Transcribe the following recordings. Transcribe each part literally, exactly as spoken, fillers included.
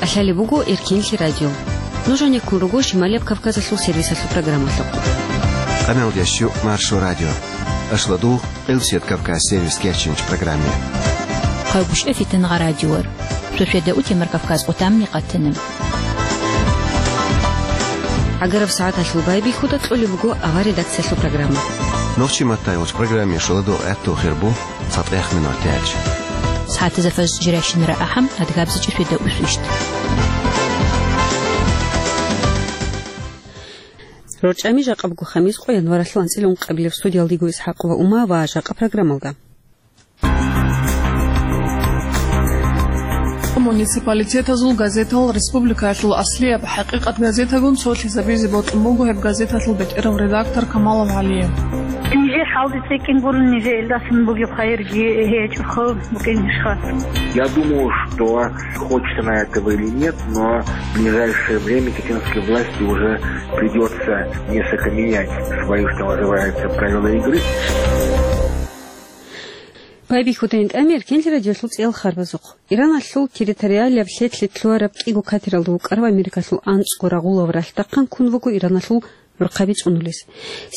Лъалеб буго Эркенлъи радио. Нуж гьанеккун руго Шималияб Кавказалъул сервисалъул программалъухъ. Къамел ящу Маршо радио. Ашладу Къилсият Кавказ сервис керчинч программе. Хъайгъушев Фитангъа радиор. Шошведа утемар Кавказ къутамни къатана. Агараб сагӀаталъул байбихьуда кьолеб буго авар редакциялъул программа. Нохчи маттай уч программе шоладу гӀатту хирбу. ЦатӀех минутач. СагӀатазда фажр жирайщинара ахӀам, адгабзичӀеб шведа усвищ. РорчӀами жакъа буго хамис къо январалъул анцӀила ункъабилеб. Студиялдего Исхакъ ва Ума ва жакъа программалда. Муниципалитетазул газетал республикаялъул аслияб ХӀакъикъат газетагун цолъизабизе бокьун буго гьеб газеталъул бетӀерав редактор Камалов ГӀалие. Нижер хӀалде цӀикӀкӀин гурун, нижер илдасан бугеб хайирги гьечӀохъо букӀинищха? Я думаю, что, хочется на этого или нет, но в ближайшее время пекинской власти уже придется несколько менять свои, что называется, правила игры. Байбихьудайин тӀамир Эркенлъи радиолъул цӀел харбазухъ. Ираналъул территориалияб лъетлъи лъугьараб кӀиго катералда вукӀарав Америкалъул анцӀго рагъулав ралъдахъан ккун вуго Ираналъул гӀурхъаби цӀунулес.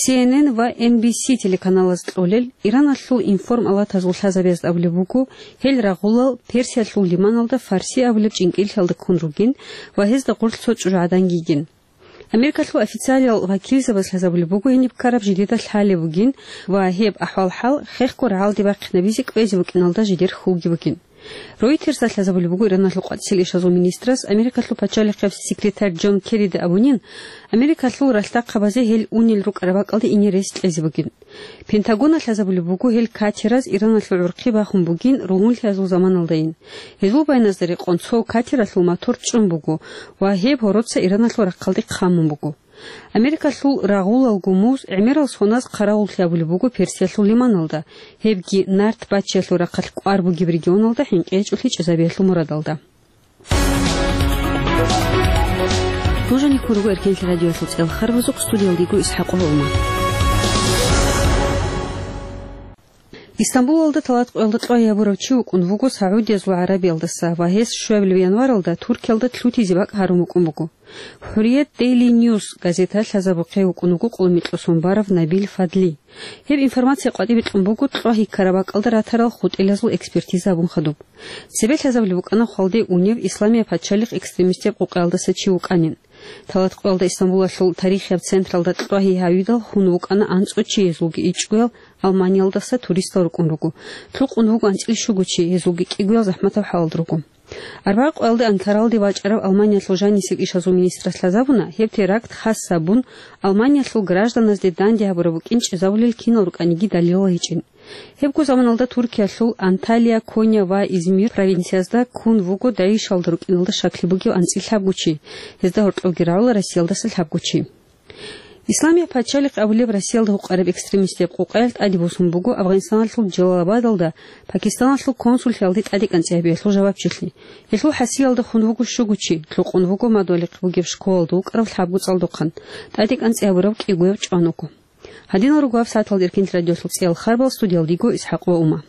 Си Эн Эн ва Эн Би Си телеканалаз кьолел, Ираналъул информалатазул лъазабиязда абулеб буго, гьел рагъулал Персиялъул лиманалда Фарси абулеб чӀинкӀиллъиялда ккун ругин ва гьезда гъорлъ цо чӀужугӀадан йигин. Америкалъул официалиял вакилзабаз лъазабулеб буго гьениб ккараб жидеда лъалеб бугин ва гьеб ахӀвал-хӀал хехго рагӀалде бахъинабизе кӀвезе букӀиналда жидер хьулги бугин. Ройтерсда лъазабулеб буго Ираналъул къватӀисел ишазул министрас Америкалъул пачалихъеб секретарь Джон Керрида абунин, Америкалъул ралъдахъабазе гьел унел рукӀараб бакӀалде ине рес кьезе бугин. Пентагона лъазабулеб буго гьел катераз Ираналъул гӀурхъи бахун бугин ругьунлъиязул заманалдайин. Гьезул байназда рекъон цо катералъул мотор чӀун буго ва гьеб гьороца Ираналъул рахъалде хъамун буго. Америкалъул рагъулал гумуз гӀемерал соназ хъаравуллъи абулеб буго Персиялъул лиманалда, гьебги нарт бачиялъул рахъалъ кӀвар бугеб регионалда хӀинкъи гьечӀолъи чӀезабиялъул мурадалда. Нуж гьанеккун руго Эркенлъи радиоялъул цӀел харбазухъ, студиялдего Исхакъ ва Ума. Истамбулалда талат къоялда кьвагьи гьабурав чи вукӀун вуго Саудиязул ГӀарабиялдаса ва гьес щуабилеб январалда Туркиялда лъутизе бакӀ гьарун вукӀун буго. ХӀурият Дейли Ньюс газета лъазабухъе вукӀун вуго къулумикьосон барав Набил Фадли. Гьеб информация къватӀибе кьун буго кьвагьи ккараб бакӀалда ратарал хутӀилазул экспертиза абун хадуб. Цебе лъазабулеб букӀана хвалде унев Исламияб пачалихъ экстремистияб къукъаялдаса чи вукӀанин. Талат къоялда Истамбулалъул тарихияб централда кьвагьи гьавидал хун вукӀана анцӀго чи, гьезулги ичӀгоял Алманиялдаса туристал рукӀун руго. Лъукъун вуго анцӀила щуго чи, гьезулги кӀигоял захӀматаб хӀалалда руго. Арбагъ къоялда Анкаралде вачӀарав Алманиялъул жанисел ишазул министрас лъазабуна, гьеб теракт хас гьабун, Алманиялъул гражданазде данде гьабураб букӀин чӀезабулел кинал рукӀаниги далилал гьечӀин. Гьебго заманалда Туркиялъул Анталия, Коня ва Измир провинциязда ккун вуго ДАИШалда рукӀиналда щаклъи бугев анцӀила лъабго чи, гьезда гьоркьовги рагӀула Россиялдаса лъабго чи. Исламияб пачалихъ абулеб Россиялда гьукъараб экстремистияб къукъаялъ тӀаде босун буго Афгъанистаналъул Джалалабадалда Пакистаналъул консуллъиялде тӀадекӀанцӀи гьабиялъул жавабчилъи. Гьелъул хӀасиялда хун вуго щуго чи, лъукъун вуго мадугьалихъ бугеб школалда вукӀарав лъабго цӀалдохъан, тӀадекӀанцӀи гьабурав кӀигояв чӀван вуго. Гьадинал руго гьаб сагӀаталда Эркенлъи радиолъул цӀел харбал, студиялдего Исхакъ ва Ума.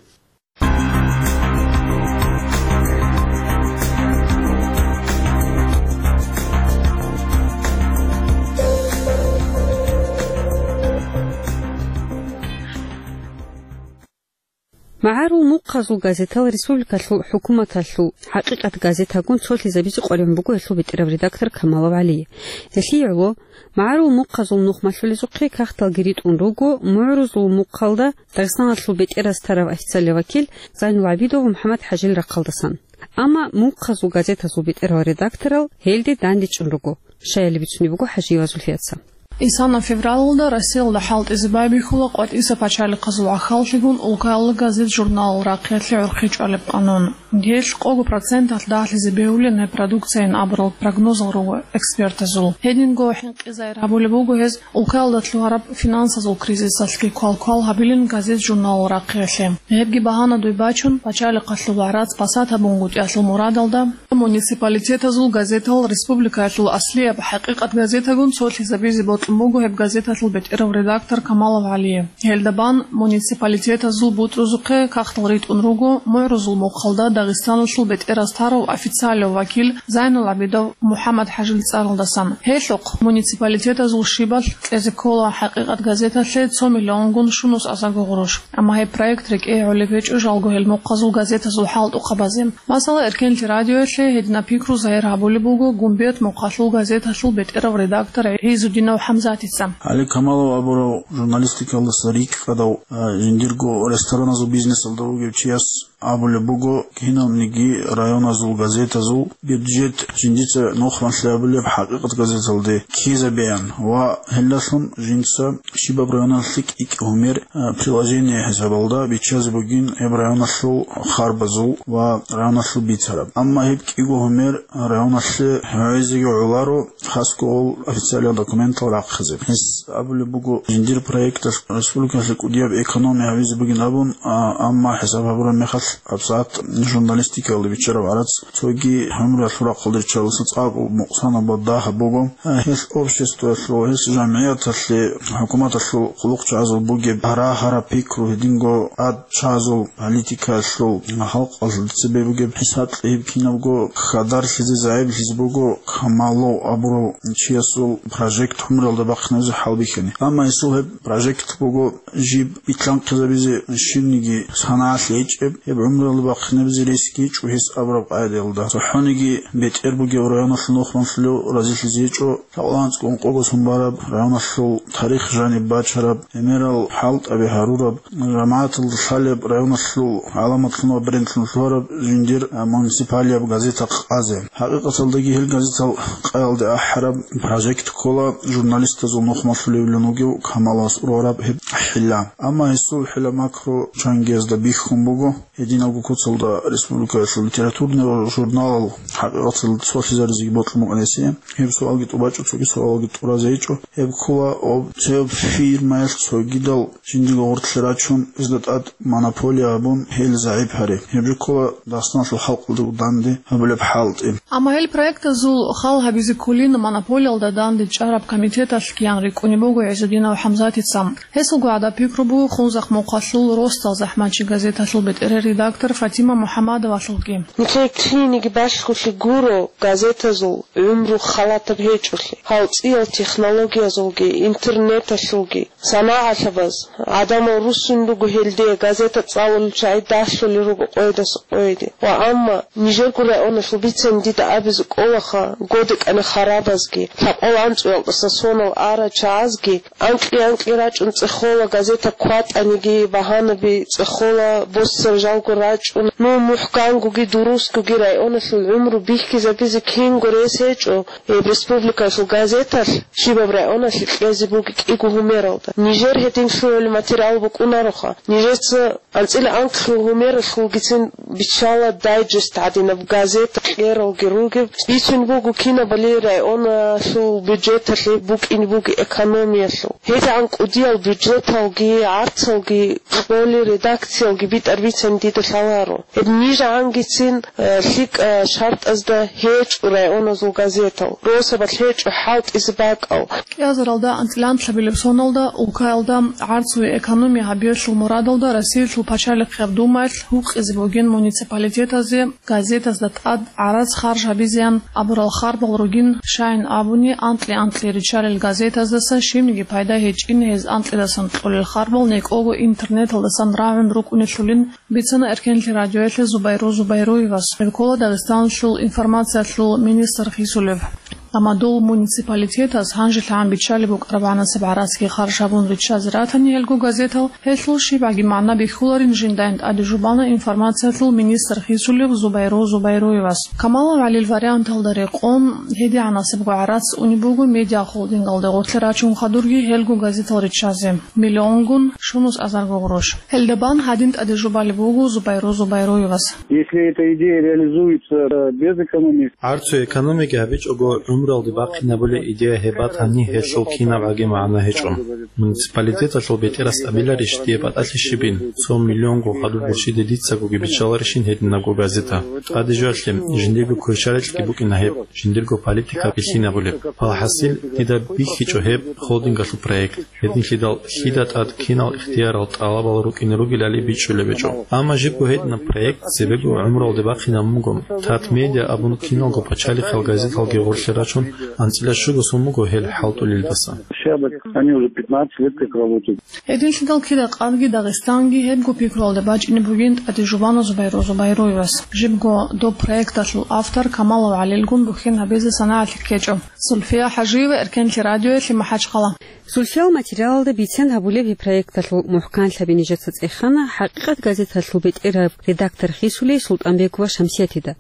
МагӀарул мухъазул газетал республикалъул хӀукуматалъул «ХӀакъикъат» газетагун цолъизабизе къваригӀун буго гьелъул бетӀерав редактор Камалов ГӀали. Гьелъие гӀоло, магӀарул мухъазул нух малъулезухъе кагъталги ритӀун руго, мугӀрузул мухъалда Дагъистаналъул бетӀераз тарав официальный вакил Зайнул ГӀабидов ва МухӀаммад ХӀажил рахъалдасан. Амма мухъазул газетазул бетӀерал редакторал гьелде дандечӀун руго, щаяли бицунеб буго ХӀажиева Зульфияца. Исана февралалда Россиялда хӀалтӀизе байбихьула къватӀиса пачалихъазул гӀахьаллъигун улкаялда газет-журналал рахъиялъе гӀурхъи чӀвалеб къанун. Гьелъ къого проценталъ дагьлъизе бегьулин гьеб продукцияйин абурал прогнозал руго экспертазул. Гьединго хӀинкъизайир гьабулеб буго гьез улкаялда лъугьараб финансазул кризисалъги квалквал гьабилин газет-журналал рахъиялъе. Гьебги багьанадуй бачун, пачалихъалъул варац пасат гьабунгутӀиялъул мурадалда, муниципалитетазул газетал республикаялъул аслияб «ХӀакъикъат» газетагун цолъизабизе бокь- буго гьеб газеталъул бетӀерав редактор Камалов ГӀалиев. Гьелда бан муниципалитетазул бутӀрузухъе кагътал ритӀун руго мугӀрузул мухъалда Дагъистаналъул бетӀераз тарав официалев вакил Зайнул ГӀабидов МухӀаммад-ХӀажил цӀаралдасан. Гьелъухъ муниципалитетазул щибалъ кьезе ккола «ХӀакъикъат» газеталъе цо миллионгун щунус азарго гъурущ. Амма гьеб проект рекӀее гӀолеб гьечӀо жалго гьел мухъазул газетазул хӀалтӀухъабазе. Масала, Эркенлъи радиоялъе гьединаб пикру загьир гьабулеб буго Гумбет мухъалъул газеталъул бетӀерав редактор ГӀизудинов ХӀамзатица. ГӀали Камалов абурав журналистикалдаса рикӀкӀадав, а, жиндирго рестораназул бизнесалда вугев чияс абулеб буго, киналниги районазул газетазул бюджет жиндица нухмалъи абулеб «ХӀакъикъат» газеталде ккезабеян ва гьелдалъун жинца щибаб районалъе кӀи-кӀи гьумер, а, приложение хӀисабалда биччазе бугин гьеб районалъул харбазул ва районалъул бицараб. Амма гьеб кӀиго гьумер районалъе гьавизеги гӀоларо, хасго гъол официальный документал рахъизе. Гьес абулеб буго, жиндир проекталъ республикалъе кӀудияб экономия гьавизе бугин абун, а, амма хӀисаб гьабураб мехалъ гьабсагӀат журналистикалда биччараб гӀарац цоги гӀумруялъул рахъалда риччалдаса цӀакъго мукъсанаб ва дагьаб буго. А, гьелъ обществоялъул, гьелъ жамгӀияталъе, хӀукуматалъул хъулухъчагӀазул бугеб гьарагьараб пикру, гьединго тӀадчӀвазул политикаялъул, халкъалъул цебе бугеб хӀисаблъи гьеб кинабго хьадарлъизе, загӀиплъизе буго Камалов абурав чиясул прожект гӀумруялда бахъинабизе хӀалбихьани. Амма гьесул гьеб прожект буго жиб битлъанхъизабизе щибниги санагӀалъи гьечӀеб, гьеб гӀумруялда бахъинабизе рес гьечӀо гьес абураб къагӀидаялда. ЦохӀониги бетӀер бугев районалъул нухмалъулев разилъизе гьечӀо, лъабкъоялда анцӀго ункъого сон бараб, районалъул тарих жаниб бачараб, гӀемерал хӀалтӀаби гьарураб, жамагӀаталда лъалеб, районалъул гӀаламатлъун ва брендлъун лъугьараб жиндир, а, муниципалияб газета къазе. ХӀакъикъаталдаги гьел газетал къаялде ахӀараб прожект ккола журналистазул нухмалъулевлъун вугев Камаловас ургъараб гьеб хӀилла. Амма гьесул хӀилла-макру чангиязда бихьун буго. Гьединабго куцалда республикаялъул литературный журналал хӀакъикъаталда цолъизаризеги бокьун букӀана гьесие. Гьеб суалги тӀубачӀо, цоги суалалги тӀуразе гьечӀо. Гьеб ккола об-, цеб фирмаялъ цогидал жиндирго гъорлъе рачун, гьезда тӀад монополия гьабун, гьел загӀип гьари. Гьеб жо ккола Дагъистаналъул халкъалда данде гьабулеб хӀалтӀи. Амма гьел проектазул хал гьабизе кколин монополиялда данде чӀараб комитеталъ киян рикӀкӀунеб буго ГӀизудинов ХӀамзатица. Гьесулго гӀадаб пикру буго Хунзахъ мухъалъул росдал захӀмачи газеталъул бетӀерер редактор Фатима МухӀаммадовалъулги. Нилъее киниги балъголъи гуро газетазул гӀумру халатаб гьечӀолъи. Гьал цӀиял технологиязулги, интернеталъулги, санагӀалъабаз, гӀадамал руссун руго гьелде газета цӀалулел чагӀи далъулел руго къойдаса къойде. Ва амма нижерго районалъул бицани дида абизе кӀолаха, годекӀани харабазги, лъабкъоялда анцӀгоялдаса сонал арал чагӀазги, анкьи-анкьи рачӀун цӀехола, газета кватӀаниги, багьанаби цӀехола, боссер жалго рачӀун, ну, мухӀкангоги дурусгоги районалъул гӀумру бихьизабизе кинго рес гьечӀо, гьеб республикалъул газеталъ щибаб районалъе кьезе буго кӀиго гьумералда. Нижер гьедин лъугӀулеб материал букӀунароха. Нижеца анцӀила анкьлъул гьумералъулгицин биччала дайджест гӀадинаб газета кьералги ругеб. Бицун буго кинабали районалъул бюджеталъе букӀине буго экономиялъул. ГьедигӀан кӀудиял бюджеталги, гӀарцалги, къоли редакциялги битӀар бицани дида лъаларо. Гьеб нижагӀангицин, э, лъикӀа шартӀазда гьечӀо районалъул газетал, росабалъ гьечӀо хӀалтӀизе бакӀал. КӀиазаралда анцӀила анкьабилеб соналда улкаялда гӀарцуе экономия гьабиялъул мурадалда Россиялъул пачалихъияб Думаялъ гьукъизе бугин муниципалитетазе газетазда тӀад гӀарац харж гьабизеян абурал харбал ругин, щайин абуни, анкьи-анкьи риччалел газетаздаса щибниги пайда гьечӀин, гьез анкьидасан кьолел харбал некӀого интернеталдасан рагӀун рукӀунелъулин, бицана Эркенлъи радиоялъе Зубайру Зубайруевас. Гьеб ккола Дагъистаналъул информациялъул министр Хисулев. Амма дол муниципалитетаз гьанжелъагӀан биччалеб букӀараб гӀанасеб гӀарацги харж гьабун риччазе ратани гьелго газетал, гьелъул щибгӀаги магӀна бихьуларин жиндайин тӀаде жубана информациялъул министр Хисулев Зубайру Зубайруевас. Камалов ГӀалил варианталда рекъон, гьедигӀанасебго гӀарац унеб буго медиахолдингалде гъорлъе рачун хадурги гьелго газетал риччазе. Миллионгун щунус азарго гъурущ. Гьелда бан гьадин тӀаде жубалеб буго Зубайру Зубайруевас. Если эта идея реализуется, э, без экономии, гӀарцуе экономияги гьабичӀого, Гуралде бахъинабулеб идея гьеб батани, гьелъул кинабгӀаги магӀна гьечӀо. Муниципалитеталъул бетӀерас абиларищ дие батӀалъи щибин, цо миллионго хадуб гурщиде дицагоги биччаларищин гьединабго газета? ТӀаде жоялъе, жиндирго кверщаликьги букӀина гьеб, жиндирго политика бихьинабулеб. Алхасил, дида бихьичӀо гьеб холдингалъул проект. Гьединлъидал лъида тӀад кинал ихтиярал, тӀалабал рукӀине ругелали бичӀчӀулеб гьечӀо. Амма жибго гьединаб проект цебего гӀумруялде бахъинабун буго. Татмедиа абун киналго пачалихъал газеталги гъорлъе рачун, анцӀила щуго сон буго гьел хӀалтӀулелдаса. Они уже пятнадцать лет как работают. Гьединлъидал кида къадги Дагъистанги гьебго пикруялде бачӀине бугин ТӀаде Жубанов Зубайру Зубайруевас. Жибго доб проекталъул автор Камалов ГӀалилгун бухьин гьабизе санагӀалъи ккечӀо. Сульфия ХӀажиева, Эркенлъи радиоялъе, МахӀачхъала. Сульфиял материалалда бицен гьабулеб гьеб проекталъул мухӀканлъаби нижеца цӀехана «ХӀакъикъат» газеталъул бетӀераб редактор хисулей Султанбегова Шамсиятида.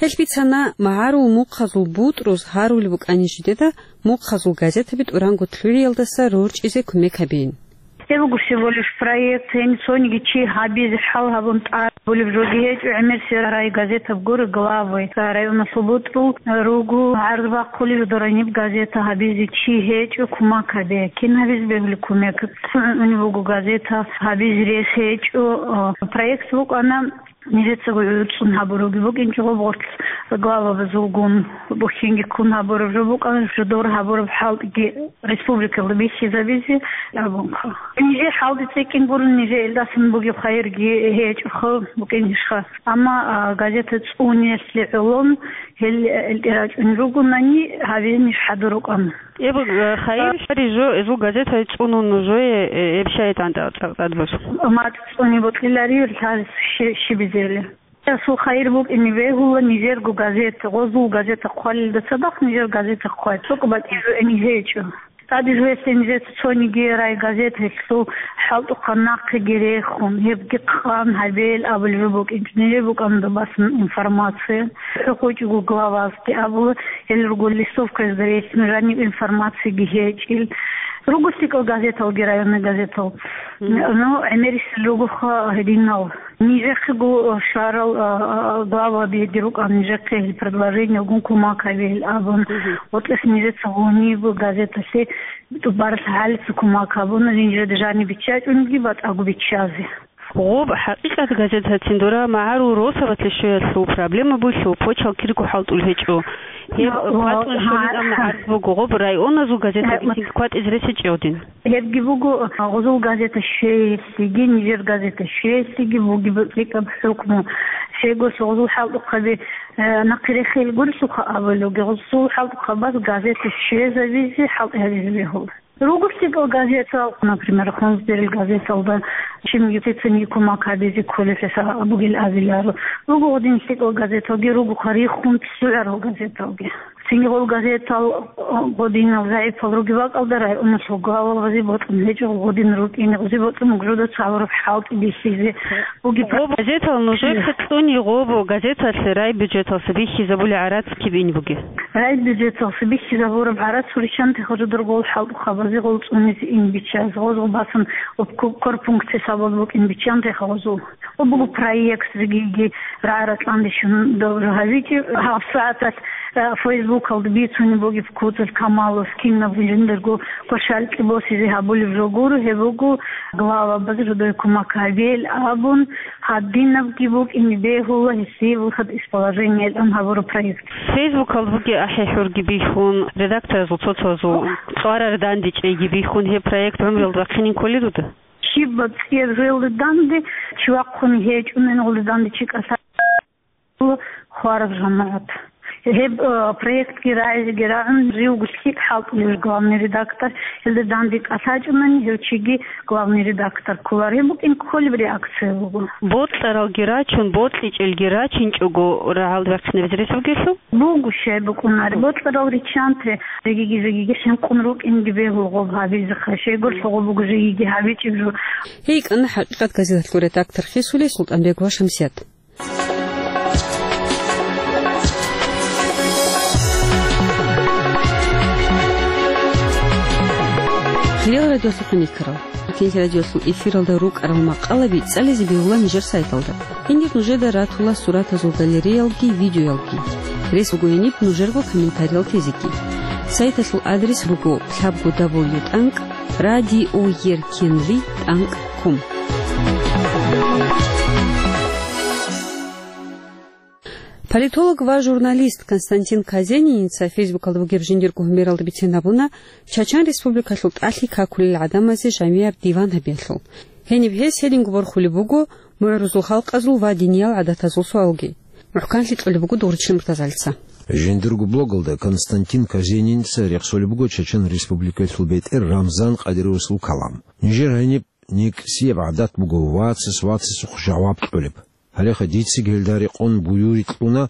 Гьелъ бицана магӀарул мухъазул бутӀруз гьарулеб букӀани жидеда мухъазул газетаби тӀуранго лъугӀиялдаса рорчӀизе кумек гьабейин. Гьеб буго всего лишь проект, гьениб цониги чи гьабизе хӀал гьабун тӀад. Гьабулеб жоги гьечӀо, гӀемерисел райгазетаб гуро главы, районалъул бутӀрул руго гӀарз бахъулел дораниб газета гьабизе чи гьечӀо кумек гьабе. Кин гьабизе бегьулеб кумек? ЦӀуни буго газета гьабизе рес гьечӀо. Проект букӀана, нижецаго гӀуцӀун гьабураги букӀинчӀо гъоб гъорлъ главабазулгун, бухьинги ккун гьабураб жо букӀана, жидер гьабураб хӀалтӀиги республикалда бихьизабизе абунха. Нижер хӀалтӀи цӀикӀкӀин гурун, нижер илдасан бугеб хайирги гьечӀоха букӀинищха. Амма, а, газета цӀуниялъе гӀолон гьел, э, элтӀе рачӀунел ругонани, гьабизе ниж хӀадур рукӀана. Эб, э, хайир, а, шари жо, эзул газета цӀунун нужее, э, эб шайтӀан тӀа-, тӀа-, тӀадбуз. Мат цӀуни бокьилари лъаз щи-, щибизели. Расул хайир букӀине бегьула нижерго газета, гъозул газета хъвалилда цадахъ нижер газета хъвай. ЦӀукъ батӀизе гьечӀо. ТӀаде жоялъе нижеца цониги райгазеталъул хӀалтӀухъан нахъеги рехун, гьебги хъан гьабел абулеб жо букӀинчӀо. Нижер букӀана доб басан информация. ХӀухъучӀого главазги абула, гьел руго листовкаязда релълъун жаниб информациги гьечӀил. Руго лъикӀал газеталги, районный газетал. Мгм. Ну, гӀемерисел ругоха гьединал. Нижехъего щварал, а, а, главаби дир рукӀана, нижехъе гьел предложениялгун кумек гьабе гьел абун. Мгм. ГъотӀес нижеца гъуниб газеталъе тӀубаралъ гьалица кумек гьабуна, нижеда жаниб биччачӀунги батӀаго биччазе. Гъоб «ХӀакъикъат» газетацин дора магӀарул росабалъе щвеялъул проблема бугелъул почал кирго хӀалтӀулеб гьечӀо. Гьеб ва-, ва-, кватӀун щолин, амма гьарз буго гъоб районазул газеталги цинги кватӀизе рес гьечӀо гьедин. Гьебги буго, гъозул газета щвеялъеги, нижер газета щвеялъеги бугеб лъикӀаб хӀукму. Щайгурелъул гъозул хӀалтӀухъаби, э, нахъе рехел гурелъулха абулебги, гъозул хӀалтӀухъабаз газета щвезабизе хӀалтӀи гьабизе бегьула. Руго лъикӀал газетал, например, Хунзберил газеталда, чимги цецинги кумек гьабизе кколелъул бугел абиларо. Руго гъодин лъикӀал газеталги, ругоха рихун цӀугӀарал газеталги. Цинги гъол газетал, э, гъодинал загӀипал ругеб бакӀалда районалъул главабазе бокьун гьечӀо, гъодин рукӀине гъозе бокьун гужуда цалураб хӀалтӀи бихьизе бугеб. Гъоб газетал нужехъе цӀуни гъоб газеталъе райбюджеталъа бихьизабулеб гӀарац киб ин бугеб? Райбюджеталъа бихьизабураб гӀарац гьуриччанте гъожодор гъол хӀалтӀухъабазе гъол цӀунизе ин биччазе, гъозул басан об ку-, корпункт хӀисабалда букӀин биччанте гъозул. Гъо буго проект жегиги рагӀа-ракьанде щун добру гьабичӀеб. ГьабсагӀаталъ, э, Фейсбукалда бицунеб бугеб куцалъ Камалас кинаб жиндирго квешалкьи босизе гьабулеб жо гуро, гьеб буго главабаз жидее кумек гьабейил абун, гьадинабги букӀине бегьула гьесие выход из положения гьабураб проект. Фейсбукалда бугеб ахӀи-хӀурги бихьун, редакторазул цо-цоязул цӀварар дандечӀейги бихьун, гьеб проект гӀумруялда вахъинин кколел руда? Щибаб цӀияб жоялда данде чи вахъун гьечӀунани, гъолда данде чи кӀалъа-, хвараб жамагӀат. Гьеб, э, проектги рагӀизеги рагӀун, живго лъикӀ хӀалтӀулев главный редактор, гьелда данде кӀалъачӀунани, гьев чиги главный редактор кколар. Гьеб букӀин кколеб реакция буго. Бокьаралги рачун, бокьичӀелги рачинчӀого рагӀалда вахъинабизе рес бугелъул? Буго щай букӀунаре. Бокьарал риччанте жегиги-жегиги хӀинкъун рукӀинги бегьул гъоб гьабизеха. Щайгурелъул гъоб буго жегиги гьабичӀеб жо. Гьей йикӀана «ХӀакъикъат» газеталъул редактор хисулей Султанбегова Шамсият. Хириял радиолъухъ никарал. Кинлъи радиолъул эфиралда рукӀарал макъалаби цӀализе бегьула нижер сайталда. Гьенир нужеда ратула суратазул галереялги, видеоялги. Рес буго гьениб нужерго комментариял тезеги. Сайталъул адрес буго лъабго дабл ю тӀанкӀ радиоеркенлъи тӀанкӀ ком. Политолог ва журналист Константин Казениница Фейсбукалда бугеб жиндир гьумералда бицен абуна, Чачан Республикалъул тӀалъи какулел гӀадамазе жамияб диван гьабиялъул. Гьениб гьес гьединго борхулеб буго мугӀрузул халкъазул ва диниял гӀадатазул суалги. МухӀканлъи кьолеб буго Дугъричил Муртазалица. Жиндирго блогалда Константин Казениница рехсолеб буго Чачан Республикалъул бетӀер Рамзан Къадировасул калам. Нижер гьениб некӀсияб гӀадат буго вацас вацасухъ жаваб кьолеб. Гьалеха дицаги гьелда рекъон буюри кьуна,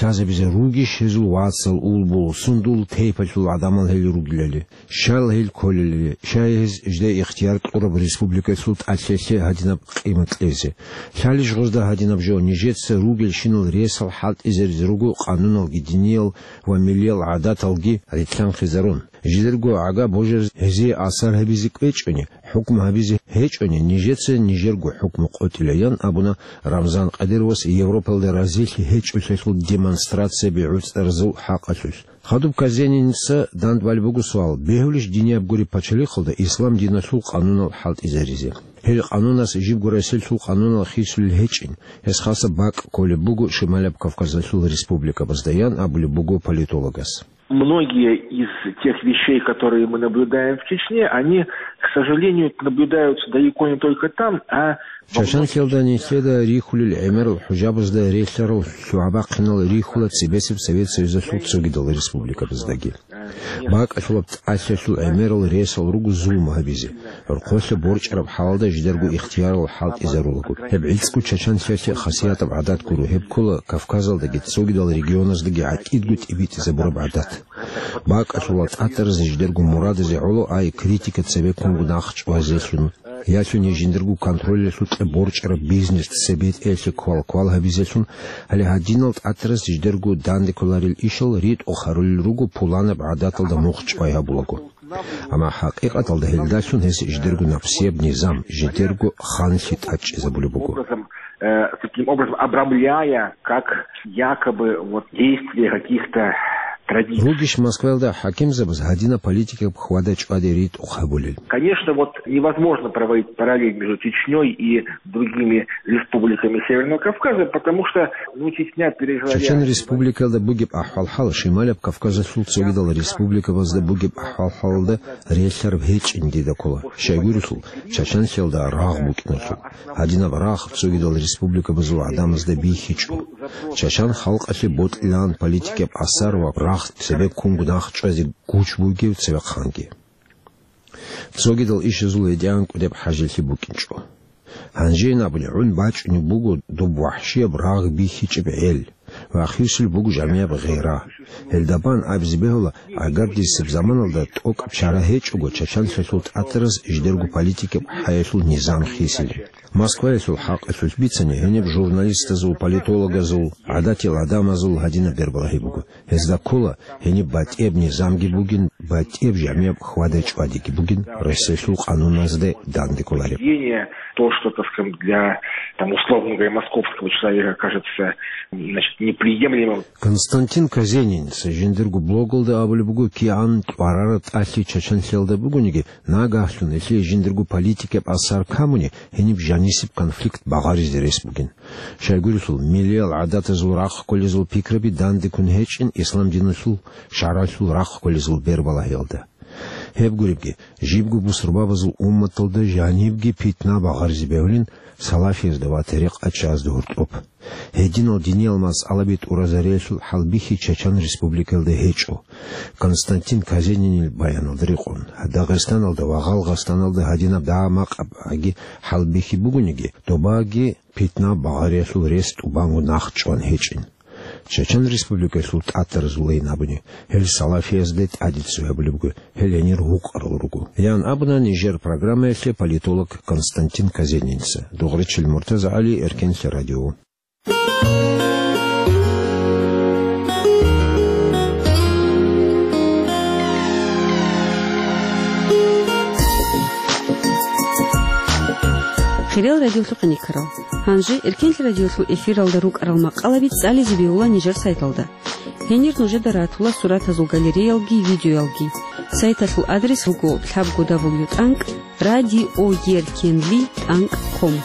лъазабизе ругищ гьезул вацал, улбул, сундул тайпалъул гӀадамал гьел ругелали, щал гьел кколелали, щай гьез жида ихтияр кьураб республикалъул тӀалъиялъе гьадинаб къимат кьезе. Лъалищ гъозда гьадинаб жо, нижеца ругелщинал ресал хӀалтӀизаризе руго къануналги, диниял ва миллиял гӀадаталги рилълъанхъизарун. Жидерго гӀага божараз гьезие асар гьабизе кӀвечӀони, хӀукму гьабизе гьечӀони, нижеца нижерго хӀукму къотӀила, ян абуна Рамзан Къадировас Европалда разилъи гьечӀолъиялъул демонстрацияби гӀуцӀаразул хӀакъалъулъ. Хадуб Казениница дандбалеб буго суал: бегьулищ динияб гуреб пачалихъалда ислам диналъул къанунал хӀалтӀизаризе? Гьел къанунас жибго Россиялъул къанунал хисулел гьечӀин, гьес хасаб бакӀ кколеб буго Шималаб Кавказалъул республикабазда, ян абулеб буго политологас. Многие из тех вещей, которые мы наблюдаем в Чечне, они, к сожалению, наблюдаются далеко не только там, а во многих Чачанлъиялда нилъеда рихьулел гӀемерал хӀужабазда релълъарал лъугӀа-бахъинал рихьула цебесеб Совет Союзалъул цогидал республикабаздаги. БакӀалъулаб тӀалъиялъул гӀемерал ресал руго зулму гьабизе. Рохъолъа борчӀараб хӀалалда жидерго ихтиярал хӀалтӀизарулаго. Гьеб гӀицӀго Чачанлъиялъе хасиятаб гӀадат гуро, гьеб ккола Кавказалдаги цогидал регионаздаги гӀатӀидго тӀибитӀизабураб гӀадат. БакӀалъула тӀатӀаразе жидерго мурадазе гӀоло ай критика цебеккунго нахъчӀвазелъун, ялъуни жиндирго контролялъукьа борчӀараб бизнес цебетӀеялъе квал-квал гьабизелъун, гьале гьадинал тӀатӀараз жидерго данде кколарел ишал ритӀухъ гьарулел руго пуланаб гӀадаталда мухъ чӀвай гьабулаго. Амма хӀакъикъаталда гьелдалъун гьес жидерго напсияб низам, жидерго ханлъи тӀадчӀезабулеб буго. Образом, э, таким образом обрамляя, как якобы вот действия каких-то традиций. Ругищ Москваялда хӀакимзабаз гьадинаб политикаб хьвада-чӀваде ритӀухъ гьабулел? Конечно, вот невозможно проводить параллель между Чечнёй и другими республиками Северного Кавказа, потому что, ну, Чечня пережила... Чачан Республикалда бугеб ахӀвал-хӀал Шималаб Кавказалъул цогидал республикабазда бугеб ахӀвал-хӀалалда релълъараб гьечӀин дида ккола. Щайгурелъул, Чачанлъиялда рагъ букӀиналъул. Гьадинаб рагъ цогидал республикабазул гӀадамазда бихьичӀо. Чачан халкъалъе бокьилаан политикаб асар ва рагъ цебеккунго нахъчӀвазе гуч бугев цевехъанги. Цогидал ишазул гьедигӀан кӀудеб хӀажилъи букӀинчӀо. Гьанжейин абуни, гӀун бачӀунеб буго доб вахӀшияб рагъ бихьичӀеб гӀел ва хисулеб буго жамияб гъира. Гьелда бан абизе бегьула, агардисеб заманалда тӀокӀаб чара гьечӀого Чачанлъиялъул тӀатӀараз жидерго политикаб хӀаялъул низам хисилин. Москваялъул хӀакъалъулъ бицани, гьениб журналистазул, политологазул, гӀадатиял гӀадамазул гьадинаб бербалагьи буго. Гьезда ккола, гьениб батӀияб низамги бугин, батӀияб жамияб хьвада-чӀвадиги бугин, Россиялъул къануназда данде кколареб. Поведение, то, что, так скажем, для, там, условно говоря, московского человека кажется, значит, неприемлемым. Константин Казениница жиндирго блогалда абулеб буго, кигӀан кьварараб тӀалъи Чачанлъиялда бугониги, нагагьлъун гьелъие жиндирго политикаб асар камуни, гьениб жанисеб конфликт багъаризе рес бугин. Щайгурелъул, миллиял гӀадатазул рахъ кколезул пикраби данде ккун гьечӀин ислам диналъул шаргӀалъул рахъ кколезул бербалагьиялда. Гьеб гуребги, жибго бусурбабазул умматалда жанибги питна багъаризе бегьулин салафиязда ва тарикъатчиязда гьоркьоб. Гьединал диниял масъалаби тӀуразариялъул хӀалбихьи Чачан Республикаялда гьечӀо. Константин Казенинил баяналда рекъон, Дагъистаналда ва Гъалгъастаналда гьадинаб дагьа-макъаб гӀаги хӀалбихьи бугониги, добаги питна багъариялъул рес тӀубанго нахъчӀван гьечӀин. Чачан Республикалъул тӀатаразулайин абуни, гьел салафиязда тӀаде цо гьабулеб буго, гьел гьенир гьукъарал руго, ян абуна нижер программаялъе политолог Константин Казениница. Дугъричил МуртазагӀали, Эркенлъи радио. Хириял радиолъухъ никарал. Гьанже Эркенлъи радиолъул эфиралда рукӀарал макъалаби цӀализе бегьула нижер сайталда. Гьенир нужеда ратула суратазул галереялги, видеоялги. Сайталъул адрес руго лъабго дабл ю тӀанкӀ радиоеркенли тӀанкӀ ком.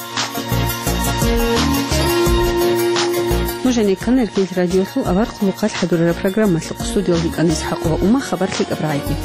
Нуж гьанеккана Эркенлъи радиолъул авар хъулухъалъ хӀадурараб программалъухъ. Студиялда йикӀана ИсхӀакъ ва Ума, хабар лъикӀаб рагӀиги.